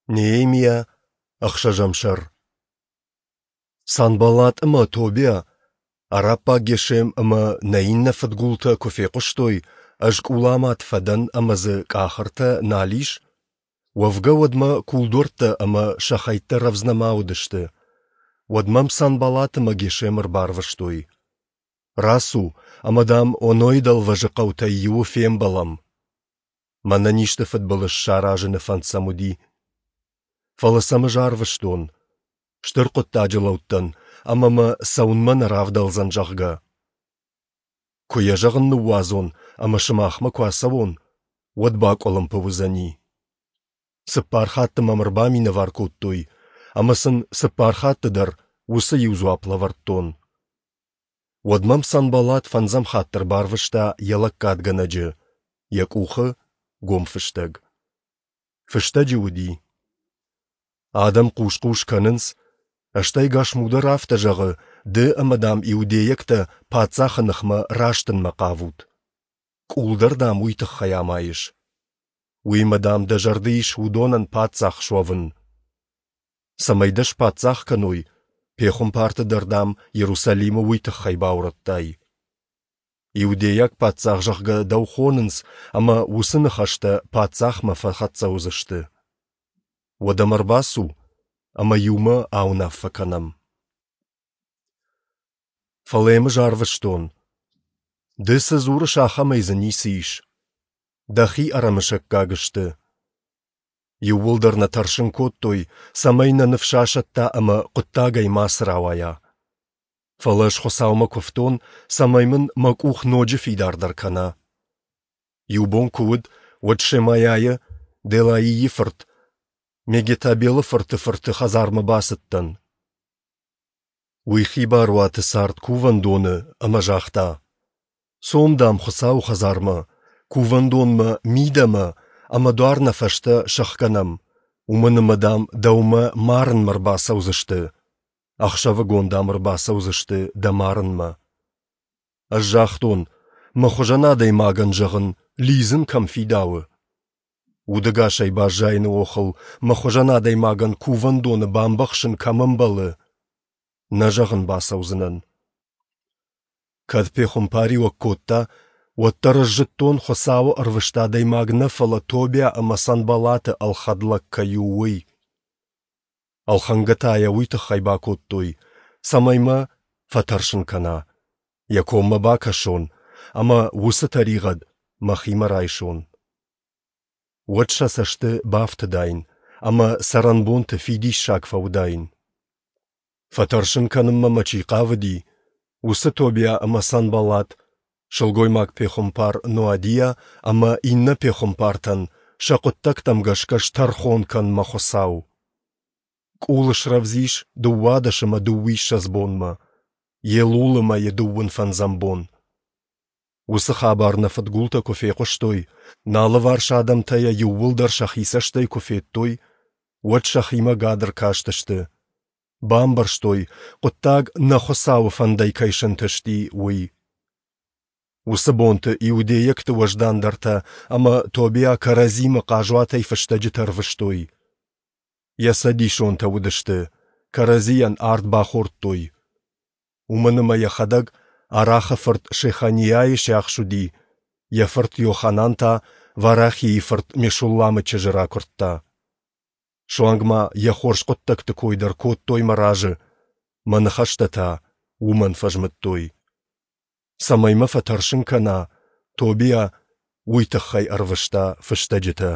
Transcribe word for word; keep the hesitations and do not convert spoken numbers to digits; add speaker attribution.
Speaker 1: Неемиа, ӕхсӕзӕм сӕр. Санбаллат ӕмӕ Тобиа, араббаг Гешем ӕмӕ нӕ иннӕ фыдгултӕ куы фехъуыстой, ӕз къуламад фӕдӕн ӕмӕ дзы къахыртӕ нал ис, уӕвгӕ уӕдмӕ кулдуӕрттӕ ӕмӕ сӕ хӕйттӕ рӕвдз нӕма уыдысты, уӕд мӕм Санбаллат ӕмӕ Гешем ӕрбарвыстой: рацу, ӕмӕ, дам, Онойы дӕлвӕзы хъӕутӕй иуы фембӕлӕм. Мӕнӕн исты фыдбылыз саразыны фӕнд сӕм уыди. Фӕлӕ сӕм ӕз арвыстон. Стыр хъуыддаджы лӕуд дӕн, ӕмӕ мӕ цӕуынмӕ нӕ равдӕлдзӕн, зӕгъгӕ. Куы йӕ зӕгъын ныууадзон ӕмӕ сымахмӕ куы ацӕуон, уӕд бакъуылымпы уыдзӕни. Цыппар хатты мӕм ӕрбаминӕвар кодтой, ӕмӕ сын цыппар хатты дӕр уыцы иу дзуапп лӕвӕрдтон. Уӕд мӕм Санбаллат фӕндзӕм хатт ӕрбарвыста йӕ лӕггадгӕнӕджы, йӕ къухы гом фыстӕг. Фыстӕджы уыди: Адӕм хъус-хъус кӕнынц, стӕй Гашму дӕр афтӕ зӕгъы, ды ӕмӕ, дам, иудейӕгтӕ паддзахы ныхмӕ растынмӕ хъавут. Къул дӕр, дам, уый тыххӕй амайыс. Уыимӕ, дам, дӕ зӕрды ис уыдонӕн паддзах суӕвын. Цӕмӕй дӕ спаддзах кӕной, пехуымпарты дӕр, дам, Иерусалимы уый тыххӕй баурӕдтай. Иудейаг паддзах, зӕгъгӕ, дӕу хонынц, ӕмӕ уыцы ныхӕстӕ паддзахмӕ фӕхӕццӕ уыдзысты. Уӕд ӕм ӕрбацу, ӕмӕ иумӕ ауынаффӕ кӕнӕм. Фӕлӕ йӕм ӕз арвыстон. Ды цы дзурыс, ахӕмӕй дзы ницы ис. Дӕхи ӕрӕмысӕггаг сты. Иууылдӕр нӕ тӕрсын кодтой, цӕмӕй нӕ ныфс асӕтта ӕмӕ хъуыддагӕй мацы рауайа. Фӕлӕ ӕз Хуыцаумӕ куывтон, цӕмӕй мын мӕ къух ноджы фидардӕр кӕна. Иу бон куы уыд, уӕд Шемайӕйы, Делаийы фырт, Мегетабелы фырты фырты хӕдзармӕ бацыдтӕн. Уый хибар уаты цард кувӕндоны ӕмӕ загъта: «Цом, дам, Хуыцауы хӕдзармӕ, кувӕндонмӕ мидӕмӕ ӕмӕ дуар нӕ фӕстӕ сӕхгӕнӕм, уымӕн ӕмӕ, дам, дӕумӕ марынмӕ ӕрбацӕудзысты, ӕхсӕвыгон, дам, ӕрбацӕудзысты дӕ марынмӕ». Ӕз загътон, мӕ хуызӕн адӕймагӕн, зӕгъын, лидзын кӕм фидауы. Удӕгасӕй баззайыны охыл мӕ хуызӕн адӕймагӕн кувӕндоны бамбӕхсын кӕм ӕмбӕлы? Нӕ, зӕгъын, бацӕудзынӕн. Кӕд пехуымпариуӕг кодта, уӕддӕр ӕз зыдтон, Хуыцауы ӕрвыст адӕймаг нӕ, фӕлӕ Тобиа ӕмӕ Санбаллаты ӕлхӕд лӕг кӕй у, уый. Ӕлхӕнгӕ та йӕ уый тыххӕй бакодтой, цӕмӕй мӕ фӕтӕрсын кӕна, йӕ коммӕ бакӕсон ӕмӕ уыцы тӕригъӕд мӕхимӕ райсон. Уӕд сӕ цӕсты бафтыдаин ӕмӕ цӕрӕнбонты фидиссаг фӕуыдаин. Фӕтӕрсын кӕнынмӕ мӕ чи хъавыди, уыцы Тобиа ӕмӕ Санбаллат, сылгоймаг-пехуымпар Ноадиа ӕмӕ иннӕ пехуымпартӕн сӕ хъуыддӕгтӕм гӕсгӕ стӕрхон кӕн, мӕ Хуыцау. Къул срӕвдз ис дыууадӕс ӕмӕ дыууиссӕдз бонмӕ, Елулы мӕйы дыууын фӕндзӕм бон. Уыцы хабар нӕ фыдгултӕ куы фехъуыстой, нӕ алыварс адӕмтӕ йӕ иууылдӕр сӕхи цӕстӕй куы федтой, уӕд сӕхимӕ гӕды ркастысты. Бамбӕрстой, хъуыддаг нӕ Хуыцауы фӕндӕй кӕй сӕнтысти, уый. Уыцы бонты иудейӕгты уӕздандӕртӕ ӕмӕ Тобиа кӕрӕдзимӕ хъазуатӕй фыстӕджытӕ ӕрвыстой. Йӕ цӕдисонтӕ уыдысты, кӕрӕдзийӕн ард бахордтой. Уымӕн ӕмӕ йӕхӕдӕг Арахы фырт Шеханиайы сиахс уыди, йӕ фырт Йоханан та Варахийы фырт Мешулламы чызджы ракуырдта. Суанг ма йӕ хорз хъуыддӕгты кой дӕр кодтой мӕ разы, мӕ ныхӕстӕ та уымӕн фӕзмыдтой. Цӕмӕй мӕ фӕтӕрсын кӕна, Тобиа уый тыххӕй ӕрвыста фыстӕджытӕ.